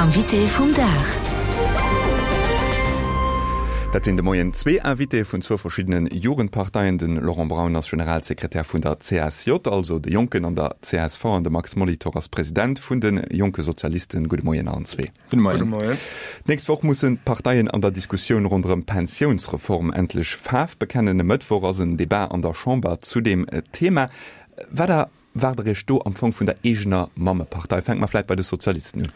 Invité vum Dag. Dat sinn de Moien zwee Invitéë vun zwou verschiddene Jugendparteien. De Laurent Braun ass Generalsekretär vun der CSJ, also de Jonken an der csv, an de Max Molitor ass President vun de Jonke Sozialisten. Gudde Moien allen zwee. Gudde Moien. Gudde Moien. D'nächst Woch mussen d'Parteien an der Diskussioun ronderëm d'Pensiounsreform endlech Faarf bekennen. E Mëttwoch ass en Debat an der Chamber zu deem Thema. Wat Erwaart der Iech do am Fong vun der eegener Mammepartei? Fänke mer vläit bei de Sozialisten un.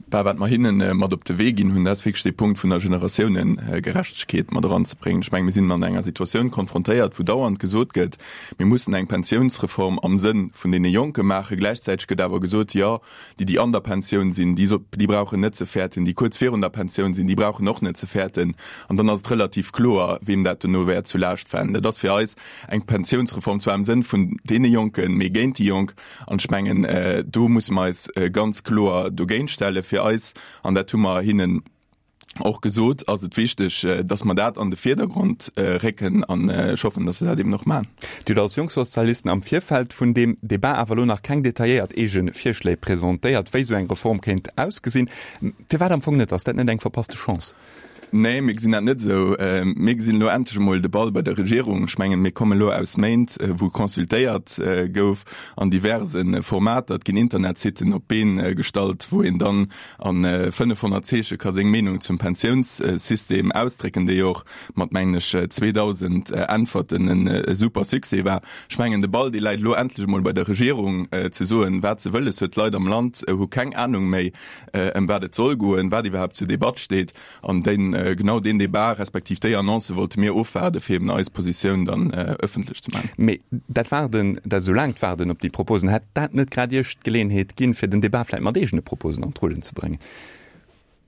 Bah, wat mer hinne mat op de Wee ginn hunn, dat ass wierklech dee Punkt vun der Generatiounegerechtegkeet mat eranzebréngen. Ech mengen, mir sinn an enger Situatioun konfrontéiert, wou dauernd gesot gëtt, mir mussen eng Pensiounsreform am Sënn vun deene Jonke maachen. Gläichzäiteg gëtt awer gesot, jo, déi, déi an der Pensioun sinn, déi, déi brauchen net ze fäerten, déi kuerz virun der Pensioun sinn, déi brauchen och net ze fäerten. An dann ass et relativ kloer, weem dat dono wäert zu Laascht falen. Dat ass fir eis Eng Pensiounsreform zwar am Sënn vun deene Jonken, mee géint déi Jonk. An ech mengen, do musse mer eis ganz kloer dogéint stellen. Fir eis, an dat hu mer hinnen och gesot, ass et wichteg, dass mer dat an de Vierdergrond récken. An ech hoffen, dass se dat eben och maachen. Dir hutt als Jongsozialisten am Virfeld vun deem Debat awer elo nach keng detailléiert eege Virschléi presentéiert, wéi esou eng Reform kéint ausgesinn. Firwat am Fong net? Ass dat net eng verpasste Chance? Nee, mir gesinn dat net esou. Mir gesinn elo endlech emol de Ball bei der Regierung. Ech mengen, mir kommen elo aus Méint, wou consultéiert gouf an diverse Formater. Et ginn Internetsitten op d'Been gestallt, wou een dann a 500 Zeeche ka seng Meenung zum Pensiounssystem ausdrécken, dee jo och mat, mengen ech, 2.000 Äntwerten e super Succès war. Ech mengen, de Ball, dee läit elo endlech emol bei der Regierung, ze soen, wat se wëlles huet. D'Leit am Land hu keng Anung méi, ëm wat et soll goen, wat iwwerhaapt zur Debatt steet. An deen, genau deen Debat respektiv déi Annonce wollte mir ofwaarden, fir eben eis Positioun dann ëffentlech ze maachen. Mee dat Waarden, dat esou laangt Waarden op déi Proposen, hätt dat net grad Iech d'Geleeënheet ginn, fir den Debat vläicht mat eegene Proposen an d'Rullen ze bréngen?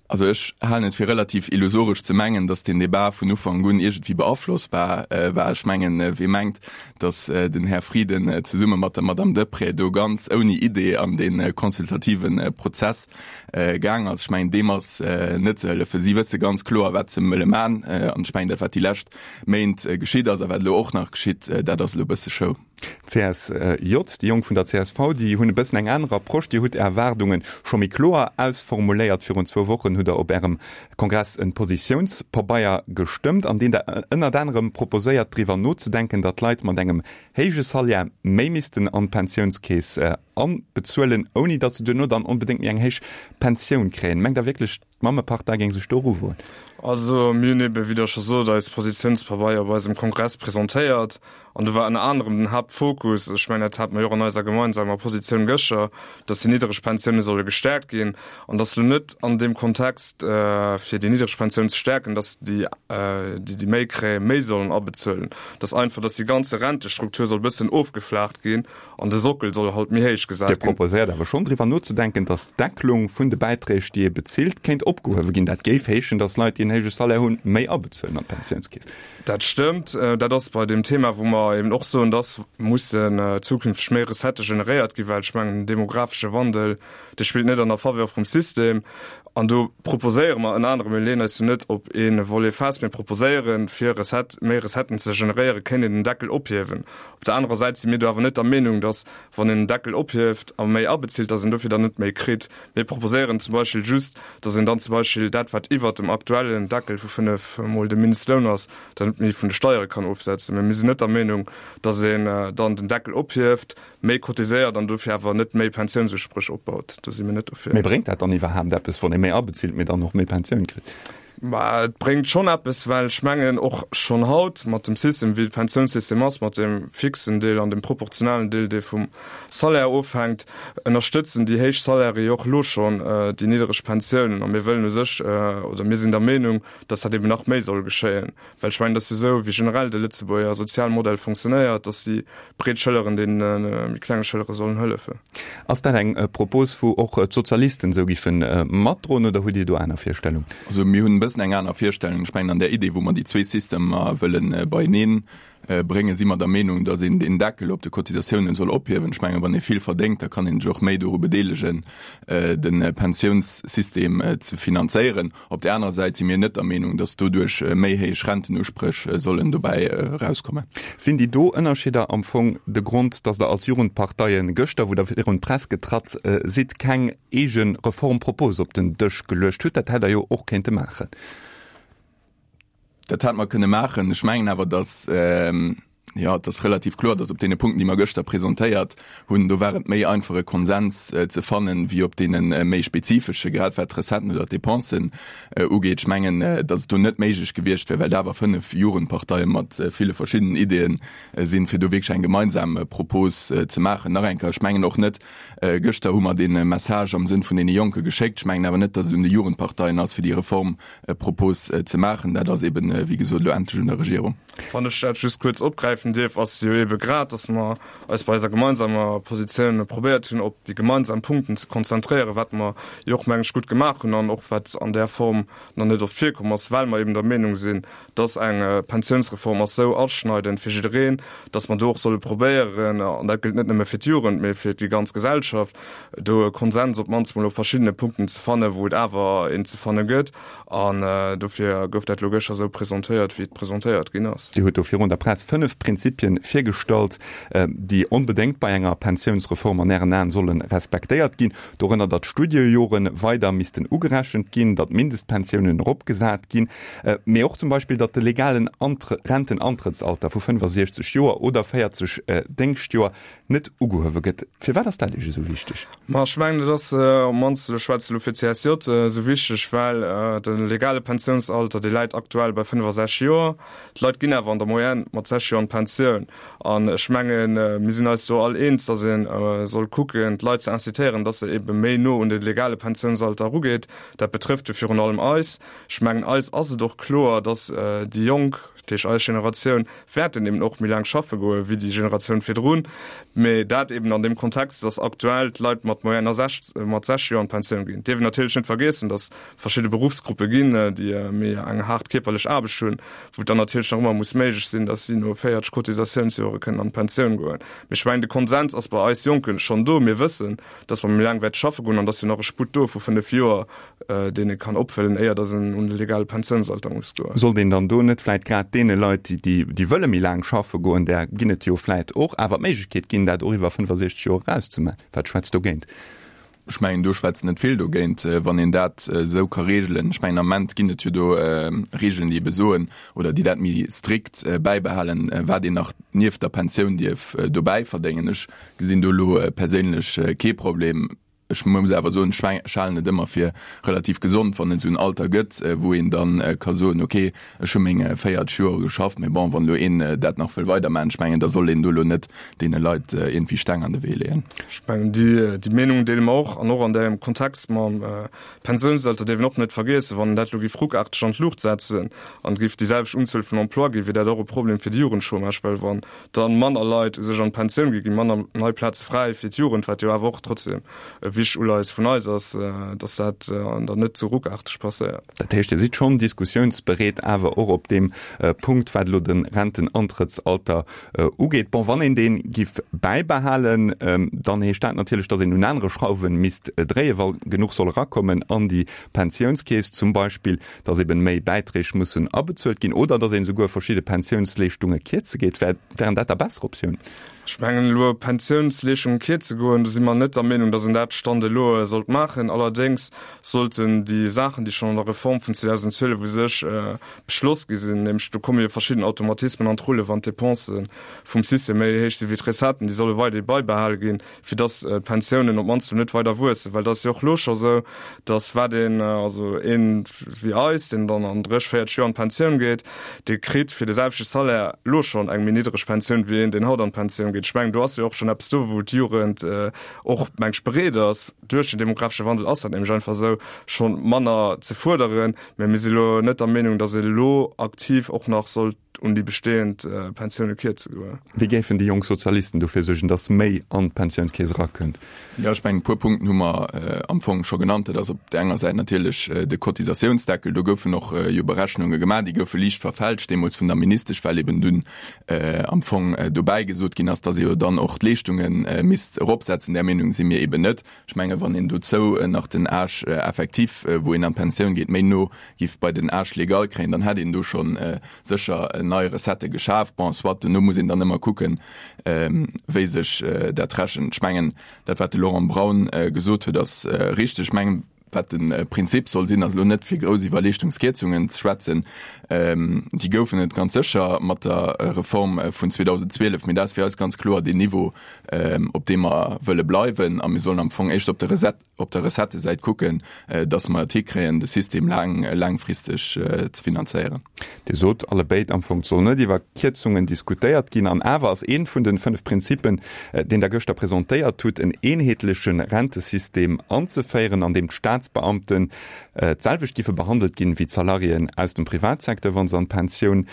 Also ech halen et fir relativ illusoresch ze mengen, datt deen Debat vun Ufank un iergendwéi beaflossbar war. Ech mengen, wee mengt, datt den Här Frieden zesumme mat der Madame Deprez do ganz ouni Idee an dee consultative Prozess gaang ass, ech mengen, deem ass net ze hëllefen. Si wësse ganz kloer, wat se wëlle man. An ech mengen, dat wat déi lescht Méint geschitt ass a wat elo och nach geschitt, dat ass elo e bësse Show. D'CSJ, déi Jonk vun der csv, déi hunn e bëssen eng aner Approche. Dir hutt Är Erwaardunge scho méi kloer ausformuléiert. Virun zwou Wochen hutt Der op Ärem Kongress e Positiounspabeier gestëmmt, an deem Der ënnert anerem proposéiert, driwwer nozedenken, datt Leit mat engem héije Salaire méi missten an d'Pensiounskeess anbezuelen, ouni datt se duerno dann onbedéngt méi eng héich Pensioun kréien. Mengt Der wierklech, d'Mammepartei géing sech do eruwoen? Also mir hunn ebe, wéi Der scho sot, eis Positiounspabeier op eisem Kongress presentéiert. An do war ënner anerem den Haaptfokus, ech mengen, dat hate mer jo och an eiser gemeinsamer Positioun gëschter, dass déi niddreg Pensioune solle gestäerkt ginn an dass elo net an deem Kontext, fir déi niddreg Pensioun ze stäerken, dass déi, déi déi méi kréien, méi sollen abezuelen, dass einfach, dass déi ganze Rentestruktur soll e bëssen ofgeflaacht ginn an de Sockel soll halt méi héich gesat Dir ginn. proposéiert awer schonn, driwwer nozedenken, dass d'Decklung vun de Bäiträg, déi ee bezilt, kéint opgehuewe ginn. Dat géif heeschen, dass Leit, déi en héije Salaire hunn, méi abezuelen an d'Pensiounskeess. Dat stëmmt. Dat ass bei deem Thema, wou mer eben och soen, dass mussen zukünfteg méi Recettë generéiert ginn, well ech mengen, den demografesche Wandel, dee spillt net an der Faveur vum System. An do proposéiere mer ënner anerem, mir leeën eis jo net op ee Volet fest, mir proposéieren, fir Recette, méi Recetten ze generéieren, kéint een den Deckel ophiewen. Op der anerer Säit si mir do awer net der Meenung, dass, wann een den Deckel ophieft a méi abezilt, dass een dofir dann net méi kritt. Mir proposéieren zum Beispill just, dass een dann zum Beispill dat, wat iwwert dem aktuellen Deckel vu 5 Mol dem Mindestloun ass, dann net méi vun de Steiere kann ofsetzen. Mä mir sinn net der Meenung, dass een dann den Deckel ophieft, méi cotiséiert an dofir awer net méi Pensiounsuspréch opbaut. Do si mir net dofir. Mee bréngt dat dann iwwerhaapt eppes, wann ee méi abezilt, mee dann och méi Pensioun kritt? Mä et bréngt schonn eppes, well ech mengen och schonn haut mat dem System, wéi de Pensiounssystem ass, mat dem fixen Deel an dem proportionalen Deel, dee vum Salaire ofhänkt, ënnerstëtzen déi héich Salairë jo och elo schonn déi niddereg Pensiounen. A mir wëllen u sech, oder mir sinn der Meenung, dass dat eben nach méi soll geschéien. Well ech mengen, et ass jo esou, wéi generell de Lëtzebuerger Sozialmodell fonctionnéiert, dass déi breet Schëlleren deene méi klenge Schëllere sollen hëllefen. Ass dat eng Propos, wou och d'Sozialisten esou giffe matdroen, oder hutt Dir do aner Virstellungen? Also mir hunn e bëssen eng aner Virstellung. Ech mengen, an där Idee, wou mer déi zwee Systemer wëlle beieneen. bréngen, si mer der Meenung, datt een deen Deckel op de Cotisatiounen soll ophiewen. Ech mengen, wann ee vill verdéngt, da kann een sech och méi doru bedeelegen, de Pensiounssystem ze finanzéieren. Op där anerer Säit si mir net der Meenung, datt doduerch méi héich Rentenuspréch sollen dobäi erauskommen. Sinn déi do Ënnerscheeder am Fong de Grond, datt Der als Jugendparteie gëschter, wou Der virun d'Press getratt sidd, keng eege Reformpropos op den Dësch geluecht hutt? Dat hätt Der jo och kéinte maachen. Dat hätt mer kënne maachen. Ech mengen awer, datt, jo, et ass relativ kloer, datt op deene Punkten, déi mer gëschter presentéiert hunn, do war et méi einfach e Konsens ze fannen, wéi op deene méi spezifesche, grad wat d'Recetten oder d'Depensen ugeet. Ech mengen, datt et do net méiglech gewiescht wär, well et awer 5 Jugendparteie mat ville verschiddenen Ideeën sinn, fir do wierklech eng gemeinsam Propos ze maachen. Nach eng Kéier, ech mengen och net, gëschter hu mer dee Message am Sënn vun deene Jonke geschéckt, ech mengen awer net, datt et un de Jugendparteien ass, fir déi Reform Propos ze maachen. Dat ass eben, wéi gesot, elo endlech un der Regierung. Wann ech dat just kuerz opgräifen dierf, ass jo ebe grad, dass mer eis bei eiser gemeinsamer Positioun probéiert hunn, op déi gemeinsam Punkten ze konzentréieren, wat mer jo och, meng ech, gutt gemaach hunn an och wat an där Form nach net oft virkomm ass, well mer eben der Meenung sinn, dass eng Pensiounsreform ass esou aschneidend fir jiddereen, dass mer do och solle probéieren, an dat gëllt net nëmme fir d'Jugend, mee fir déi ganz Gesellschaft, do e Konsens op d'mannst mol op verschiddene Punkten ze fannen, wou et awer een ze fanne gëtt. An dofir gouf dat elo gëschter esou presentéiert, wéi et presentéiert ginn ass. Dir hutt do virun der Press 5 Prinzipien virgestallt, déi onbedéngt bei enger Pensiounsreform an Ären Aen solle respektéiert ginn. Dorënner, datt d'Studiejore weider missten ugerechent ginn, datt d'Mindestpensiounen eropgesat ginn, mee och zum Beispill, datt de legalen Rentenantrëttsalter vu 65 Joer oder 40 Déngschtjoer net ugehuewe gëtt. Firwat ass dat Iech esou wichteg? Ma ech mengen, et ass, op d'mannst, ech schwätze elo fir d'CSJ, esou wichteg, well de legale Pensiounsalter, dee läit aktuell bei 65 Joer. D'Leit ginn awer an der Moyenne mat 60 Joer an d'Pensioun. An ech mengen, mir sinn eis do all eens, datt ee soll kucken, d'Leit ze incitéieren, datt se ebe méi no un de legale Pensiounsalter erugeet. Dat betrëfft jo virun allem eis. Ech mengen, eis ass et och kloer, datt déi Jonk, dat heescht eis Generatioun, wäerten eben och méi laang schaffe goe wéi déi Generatioun virdrun. Mee dat eben an deem Kontext, dass aktuell d'Leit mat Moyenne mat 60 Joer an d'Pensioun ginn. Dierf een natierlech net vergiessen, dass verschidde Beruffsgruppe ginn, déi méi eng haart kierperlech Aarbecht hunn, wou et dann natierlech nach ëmmer muss méiglech sinn, dass si no 40 Cotisatiounsjore kënnen an d'Pensioun goen. Mee ech mengen, de Konsens ass bei eis Jonke schonn do. Mir wëssen, dass mer méi laang wäerte schaffe goen an dass jo nach e Sputt do vu 5 Joer, deen ee kann opfëllen, éier dass en un de legale Pensiounsalter muss goen. Sollt een dann do net vläit grad deene Leit, déi déi wëlle méi laang schaffe goen, där ginn et jo vläit och, awer d'Méiglechkeet ginn, dat och iwwer 65 Joer eraus ze maachen? Wat schwätzt dogéint? Ech mengen, do schwätzt net vill dogéint, wann een dat esou ka regelen. Ech mengen, am Ament ginn et jo do Regeln, déi ebe soen oder déi dat méi strikt bäibehalen, wat een nach nieft der Pensioun dierf dobäi verdéngen. Ech gesinn do elo perséinlech kee Problem. Ech muss awer soen, ech halen et ëmmer fir relativ gesond, wann et esou en Alter gëtt, wou een da ka soen, okay, ech hu meng 40 Joer geschafft, mee bon, wann elo een dat nach wëll weidermaachen, ech mengen, da soll een do elo net deene Leit iergendwéi Steng an de Wee leeën. Ech mengen, déi Meenung deele mer och. An och an deem Kontext mam Pensiounsalter dierf een och net vergiessen, wann een dat elo géif ruckaarteg an d'Luucht setzen an et géif déi selwecht Unzuel vun Emploie ginn, wier dat och e Problem fir de Jugendchômage, well wann dann manner Leit u sech an d'Pensioun gi, gi manner nei Plaze fräi fir d'Jugend, wat jo awer och trotzdem e wichtegt Uleies vun eis ass, dass dat dann net ze ruckaarteg passéiert. Dat heescht, Dir sidd schonn diskussiounsbereet awer och op deem Punkt, wat elo de Rentenantrëttsalter ugeet. Bon, wann een dee giff bäibehalen, dann heescht dat natierlech, dass een un anere Schrauwe misst dréien, wa genuch soll erakommen an déi Pensiounskeess zum Beispill. dass eben méi Bäiträg mussen abezuelt ginn oder dass een esouguer verschidde Pensiounsleeschtunge kierze geet. Wären dat da besser Optiounen? Ech mengen elo Pensiounsleeschtunge kierze goen, do si mer net der Meenung, dass een dat Stand elo sollt maachen. Allerdéngs sollten déi Saachen, déi schonn an der Reform vun 2012 u sech beschloss gi sinn, nämlech do komme jo verschidden Automatismen an d'Rulle wann d'Dépense vum System méi héich si wéi d'Recetten, déi solle weiderhi baibehale ginn. fir dass d'Pensiounen op d'mannst elo net weider wuessen, well et ass jo och elo scho sou, dass wat een, also een wéi eis, deen dann an 30, 40 Joer an d'Pensioun geet, dee kritt fir de selwechte Salaire elo schonn eng méi niddreg Pensioun wéi een, deen haut an d'Pensioun geet. Ech mengen, do ass jo och schonn eppes do, wou d'Jugend och, meng ech, bereet ass, duerch den demografesche Wandel ass dat nämlech einfach esou, schonn manner ze fuerderen. Mä mir si elo net der Meenung, dass ee elo aktiv och nach sollt. un déi bestehend Pensioune kierze goen. Wéi géifen déi jonk Sozialisten dofir suergen, datt méi an d'Pensiounskeess erakënnt? Jo, ech mengen, e puer Punkten hu mer am Fong scho genannt. Dat ass op där enger Säit natierlech de Cotisatiounsdeckel. Do goufen och jo Berechnunge gemaach, déi goufe liicht verfälscht deemools vun der Ministesch, well eben dunn am Fong dobäi gesot ginn ass, datt ee jo dann och d'Leeschtunge misst eropsetzen. Där Meenung si mir eben net. Ech menge wann een dozou nach den Âge effectif, wou een an d'Pensioun geet, méi no giff bei den Âge légal kréien, dann hätt een do scho sécher nei Recettë geschaf. Bon, soit, duerno muss een dann ëmmer kucken, wéi sech dat rechent. Ech mengen, dat wat de Laurent Braun gesot huet, ass richteg. Ech mengen, wat de Prinzip soll sinn, ass elo net fir grouss iwwer Leeschtungskierzungen ze schwätzen. Déi goufen et ganz sécher mat der Reform vun 2012, mee dat ass fir eis ganz kloer deen Niveau, op deem mer wëlle bleiwen. A mir sollen am Fong éischter op de Recette, op der Recettësäit kucken, dass mer et hikréien, de System laang, laangfristeg ze finanzéieren. Dir sot allebéid am Fong, et soll net iwwer Kierzungen diskutéiert ginn. An awer ass ee vun de 5 Prinzippen, deen Der gëschter presentéiert hutt, en eenheetleche Rentesystem anzeféieren, an deem d'Staatsbeamten d'selwecht giffe behandelt ginn, wéi d'Salariéen aus dem Privatsecteur, wa se an d'Pensioun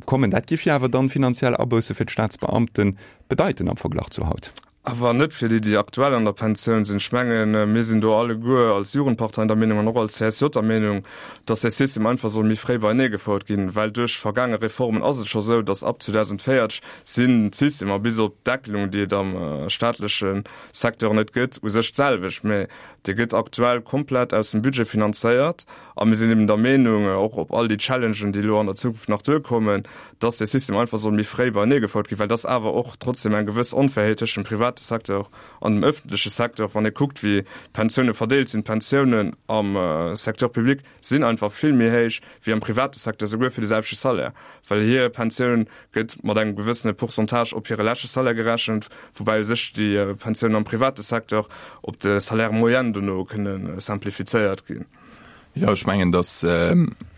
kommen. Dat giff jo awer dann finanziell Abousse fir d'Staatsbeamten bedeiten am Verglach zu haut. Awer net fir déi, déi aktuell an der Pensioun sinn. Ech mengen, mir sinn do alleguer als Jugendparteien der Meenung an och als CSJ der Meenung, dass dee System einfach soll méi fréi beienee gefouert ginn, well duerch vergaange Reformen ass et scho sou, dass ab 2040 sinn d'Systemer, bis op d'Deckelung, déi et am staatleche Secteur net gëtt, u sech d'selwecht, mä dee gëtt aktuell komplett aus dem Budget finanzéiert. A mir sinn eben der Meenung, och op all déi Challengen, déi elo an der Zukunft nach duerkommen, dass dee System einfach soll méi fréi beienee gefouert ginn, well dass awer och trotzdem eng gewëss Onfairheet tëschent dem private Secteur an dem öffentleche Secteur, wann ee kuckt, wéi d'Pensioune verdeelt sinn. D'Pensiounen am Secteur public sinn einfach vill méi héich wéi am private Secteur, souguer fir de selwechte Salaire, well hir Pensioun gëtt mat engem gewëssene Pourcentage op hire leschte Salaire gerechent, woubäi u sech déi Pensiounen am private Secteur op de Salaire moyen dono kënne simplifizéiert ginn. Jo, ech mengen, datt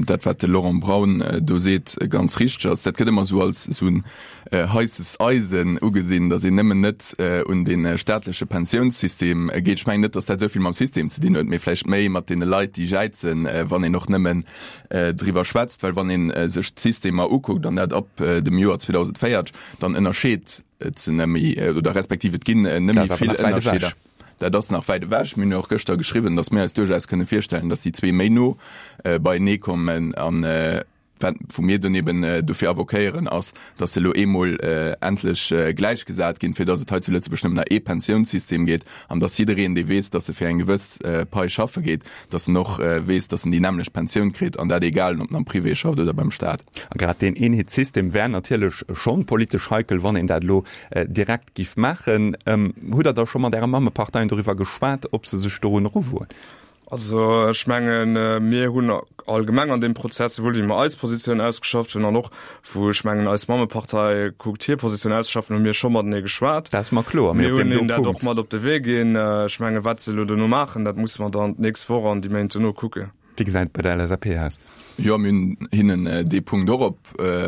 dat, wat de Laurent Braun do seet, ganz richteg ass. Dat gëtt ëmmer esou als esou en heisses Eisen ugesinn, datt een nëmmen net un dee staatleche Pensiounssystem geet. Ech mengen net, datt dat esou vill mam System ze dinn huet, mee vläicht méi mat deene Leit, déi jäizen, wann een och nëmmen driwwer schwätzt. Well wann ee sech d'Systemer ukuckt, an dat ab dem Joer 2040, dann ënnerscheet et se net méi, oder respektiv et ginn net méi vill Ënnerscheeder. Dat ass nach wäit ewech. Mir hunn jo och gëschter geschriwwen, datt mir eis duerchaus kënne virstellen, datt déi zwee méi no beienee kommen. An wat, wou mir dunn eben dofir avoquéieren, ass, datt se elo eemol endlech gläichgesat ginn, fir datt et hei zu Lëtzebuerg nëmmen nach ee Pensiounssystem gétt an datt jiddereen, dee weess, datt e fir eng gewëss Pai schaffe geet, datt en och weess, datt en déi nämmlecht Pensioun kritt, an dat egal, ob en am Privé schafft oder beim Staat. A grad deen Eenheetssystem wär natierlech schonn politesch heikel, wann een dat elo direkt Giff maachen. Hutt Der da scho mat Äre Mammeparteien doriwwer geschwat, ob se sech dorun eruwoen? Also ech mengen, mir hunn allgemeng an deem Prozess, souwuel wéi mer eis Positioun ausgeschafft hunn an och wou ech mengen eis Mammepartei kuckt hir Positioun auszeschaffen, hu mir scho matenee geschwat. Dat ass mer kloer, mee op deem do Punkt. Mir hunn hinnen dat och mat op de Wee ginn. Ech mengen, wat se elo dono maachen, dat musse mer dann d'nächst Woch an déi Méint dono kucken. Wéi gesäit et bei der LSAP aus? Jo, mir hunn hinnen dee Punkt och op,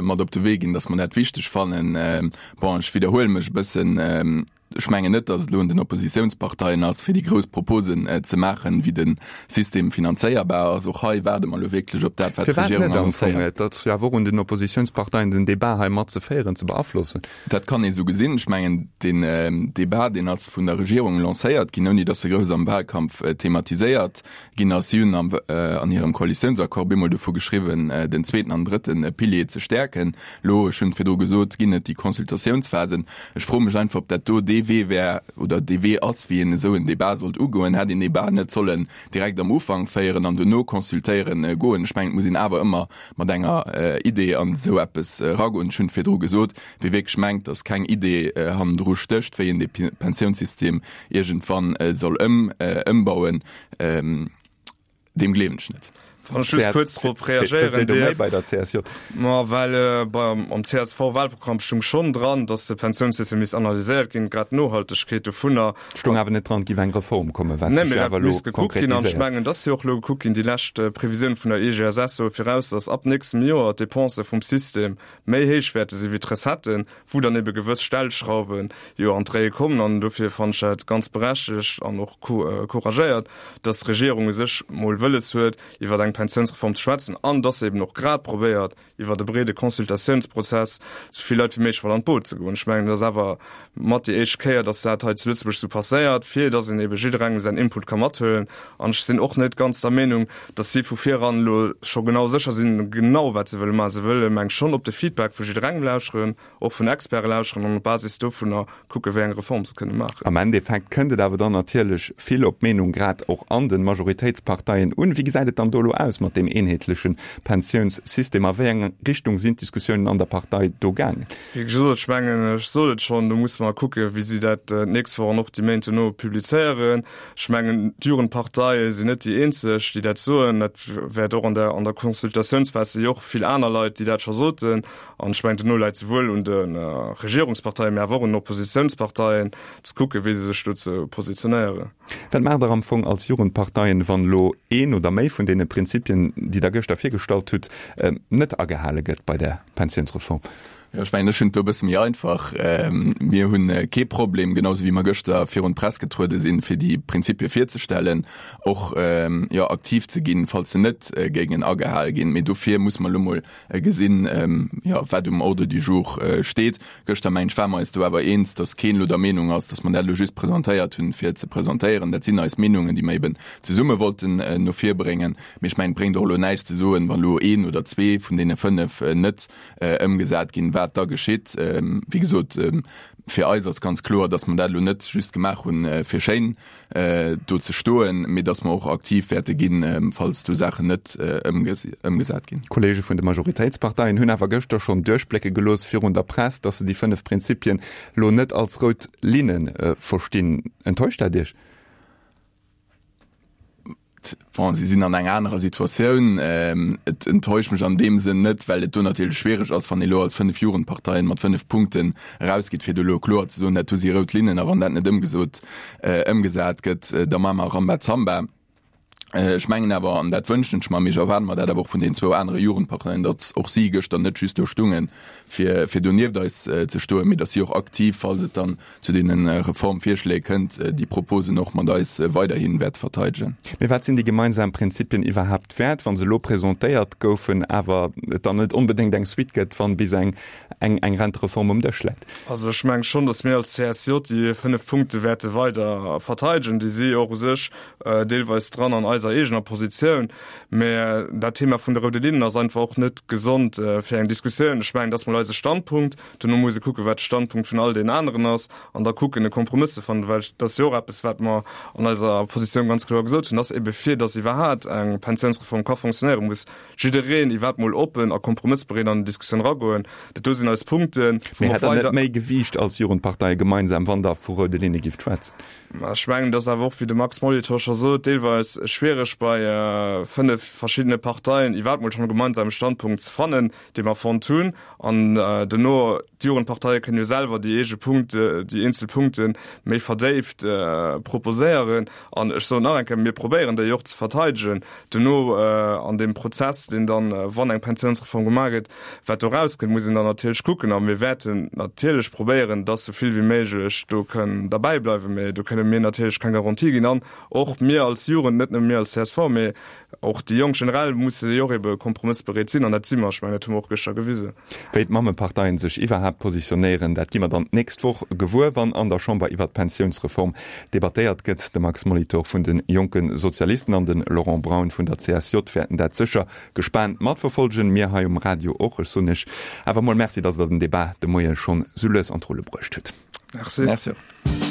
mat op de Wee ginn, datt mer dat wichteg fannen. Bon, ech widderhuele mech e bëssen, Ech mengen net, datt et elo un den Oppositiounsparteien ass, fir déi grouss Proposen ze maachen, wéi de System finanzéierbar ass. Och hei waarde mer elo wierklech op dat, wat Firwat d'Regierung net am Fong? annoncéiert. Et ass jo awer och un den Oppositiounsparteien, den Debat hei mat ze féieren, ze beaflossen. Dat kann ee sou gesinn. Ech mengen, deen Debat, deen ass vun der Regierung lancéiert ginn, ouni datt e grouss am Wahlkampf thematiséiert ginn ass. Si hunn an hirem Koalitiounsaccord bemol dovu geschriwwen, den zweeten an drëtte Pilier ze stäerken. Elo, ech hunn et virdru gesot, ginn et déi Consultatiounsphasen. Ech froe mech einfach, ob dat do dee Wee wär oder dee Wee ass, wéi een esou en Débat sollt ugoen. Hätt een dee Débat net sollen direkt am Ufank féieren an duerno consultéieren goen? Ech mengen, et muss een awer ëmmer mat enger Idee an esou eppes eragoen. Ech hunn et virdru gesot, wie wierklech mengt, datt keng Idee hannendru stécht, wéi een dee Pensiounssystem iergendwann soll ëmbauen, deem gleewen ech net. Wann ech just kuerz drop reagéieren dierf. Bei der CSJ. Ma well beim am CSV-Wahlprogramm stung schonn dran, datt de Pensiounssystem misst analyséiert ginn, grad d'Nohaltegkeet dovunner. Stung awer net dran, et géif eng Reform kommen, wat sech jo awer elo konkretiséiert. An ech mengen, et ass jo och elo gekuckt ginn, déi lescht Previsioun vun der IGSS soe viraus, datt ab nächstem Joer d'Depensë vum System méi héich wäerte si wéi d'Recetten, wou dann ebe gewëss Stellschrauwe jo an d'Réie kommen. An dofir fannen ech dat ganz berechtegt an och couragéiert, dass d'Regierung u sech mol wëlles huet, iwwer eng. Pensiounsreform ze schwätzen an dass se eben och grad probéiert, iwwert e breede Consultatiounsprozess sou vill Leit wéi méiglech mat an d'Boot ze goen. Ech mengen, et ass awer mat déi éischt Kéier, dass dat hei zu Lëtzebuerg sou passéiert, fir dass een ebe jidderengem säin Input ka mathuelen. An ech sinn och net ganz der Meenung, dass si vu viran elo scho genau sécher sinn, genau wat se wëlle maachen. Se wëlle, meng ech, schonn op de Feedback vu jidderengem lauscheren, och vun Experte lauscheren an op Basis dovunner kucken, wéi eng Reform se kënne maachen. Am Endeffekt kënnt et awer dann natierlech vill op d'Meenung grad och an de Majoritéitsparteien un. Wéi gesäit et dann do elo aus mat deem eenheetleche Pensiounssystem? A wéi eng Richtung sinn d'Diskussiounen an der Partei do gaangen? Wéi gesot, ech mengen, ech sot et schonn, do musse mer kucken, wéi si dat d'nächst Woch an och déi Méint dono publizéieren. Ech mengen, d'Jugendparteie sinn net déi eenzeg, déi dat soen. Dat wäert och an der an der Consultatiounsphas si jo och vill aner Leit, déi dat scho soten. An ech mengen, dono läit souwuel un de Regierungsparteien, mä awer och un den Oppositiounsparteien, ze kucken, wéi se sech dozou positionéieren. Wat maacht Der am Fong als Jugendparteien, wann elo een oder méi vun deene Prinzipien, déi Der gëschter virgestallt hutt, net agehale gëtt bei der Pensiounsreform? Jo, ech mengen, ech hunn et do e bësse méi einfach. Mir hu kee Problem, genau esou wéi mer gëschter virun d'Press getruede sinn, fir déi Prinzipie virzestellen, och, jo, aktiv ze ginn, falls se net géingen agehal ginn. Mee dofir muss mer elo mol gesinn, jo, wat um Ordre du jour steet. Gëschter, mengen ech, ware mer eis do awer eens, datt keen elo der Meenung ass, datt mer dat elo just presentéiert hunn, fir et ze presentéieren. Dat sinn eis Meenungen, déi mer eben zesumme wollten no vir bréngen. Mee ech mengen, et bréngt och elo näischt ze soen, wann elo een oder zwee vun deene 5 net ëmgesat ginn, wat da geschitt. Wéi gesot, fir eis ass ganz kloer, datt mer dat elo net just gemaach hunn, fir schéin do ze stoen, mee datt mer och aktiv wäerte ginn, falls do Saachen net ëmgesat ginn. D'Kolleege vun de Majoritéitsparteien hunn awer gëschter schonn duerchblécke gelooss virun der Press, datt se déi 5 Prinzipien elo net als rout Linne verstinn. Enttäuscht dat Iech? Bon, si sinn an enger anerer Situatioun. Et enttäuscht mech an deem Sënn net, well et do natierlech schwiereg ass, wann ee lo als 5 Jugendparteien mat 5 Punkten erausgeet, fir do lo kloer ze soen, dat do si rout Linnen a wann dat net ëmgesot, ëmgesat gëtt, da maache mer Rambazamba. Ech mengen awer, an dat wënschen ech mer, mee ech erwaarde mer dat awer och vun den zwou anere Jugendparteien, datt och si gëschter net just do stungen, fir, fir do nieft eis ze stoen, mee datt si och aktiv, falls et dann zu deene Reformvirschléi kënnt, déi Proposen och mat eis weiderhi wäerte verteidegen. Mee wat sinn déi gemeinsam Prinzipien iwwerhaapt wäert, wa se elo presentéiert goufen, awer et dann net onbedéngt eng Suite gëtt, wann bis eng eng Rentereform um Dësch läit? Also ech menge schonn, datt mir als CSJ déi 5 Punkte wäerte weider verteidegen. Déi si och u sech deelweis dran an eiser eegener Positioun. Mä dat Thema vun de roude Linnen ass einfach och net gesond fir eng Diskussioun. Ech mengen, dat ass mol eise Standpunkt. Dono muss e kucken, wat de Standpunkt vun all deenen aneren ass, an da kucken, e Kompromëss ze fannen, well dat ass jo och eppes, wat mer an eiser Positioun ganz kloer gesot hunn, dass ebe fir dass iwwerhaat eng Pensiounsreform ka fonctionnéieren, muss jiddereen iwwerhaapt mol oppen a kompromëssbereet an déi Diskussioun eragoen. Dat do sinn eis Punkten, wou mer och weider. Mee hätt Der net méi Gewiicht als Jugendparteie gemeinsam, wann Der vu roude Linne gifft schwätzen? Ech mengen, et ass awer och, wéi de Max Molitor scho sot, deelweis schwiereg bei 5 verschiddene Parteien iwwerhaapt mol schonn e gemeinsame Standpunkt ze fannen, dee mer fonnt hunn. An dono, d'Jugendparteie kënnen jo selwer déi eege Punkte, déi eenzel Punkte méi verdéift proposéieren. An ech soen nach eng Kéier, mir probéieren déi och ze verteidegen dono an deem Prozess, deen dann, wann eng Pensiounsreform gemaach gëtt, wat do erauskënnt, muss een dann natierlech kucken. A mir wäerten natierlech probéieren, dass esou vill wéi méiglech do kënn derbäi bleiwen. Mä do kënne mir natierlech keng Garantie ginn. An och mir als Jugend, net nëmme mir als csv, mä Och déi Jonk generell musse jo och ebe kompromëssbereet sinn, an dat si mer. Ech mengen, dat hu mer och gëschter gewisen. Wéi d'Mammeparteien sech iwwerhaapt positionéieren, dat gi mer dann d'nächst Woch gewuer, wann an der Chamber iwwert d'Pensiounsreform debattéiert gëtt. De Max Molitor vun de Jonke Sozialisten an de Laurent Braun vun der CSJ wäerten dat sécher gespaant matverfolgen. Mir hei um Radio och. Ech soen Iech awer mol Merci, datt Der den Debat de Moie schonn sou lues an d'Rulle bruecht hutt. Merci. Merci och.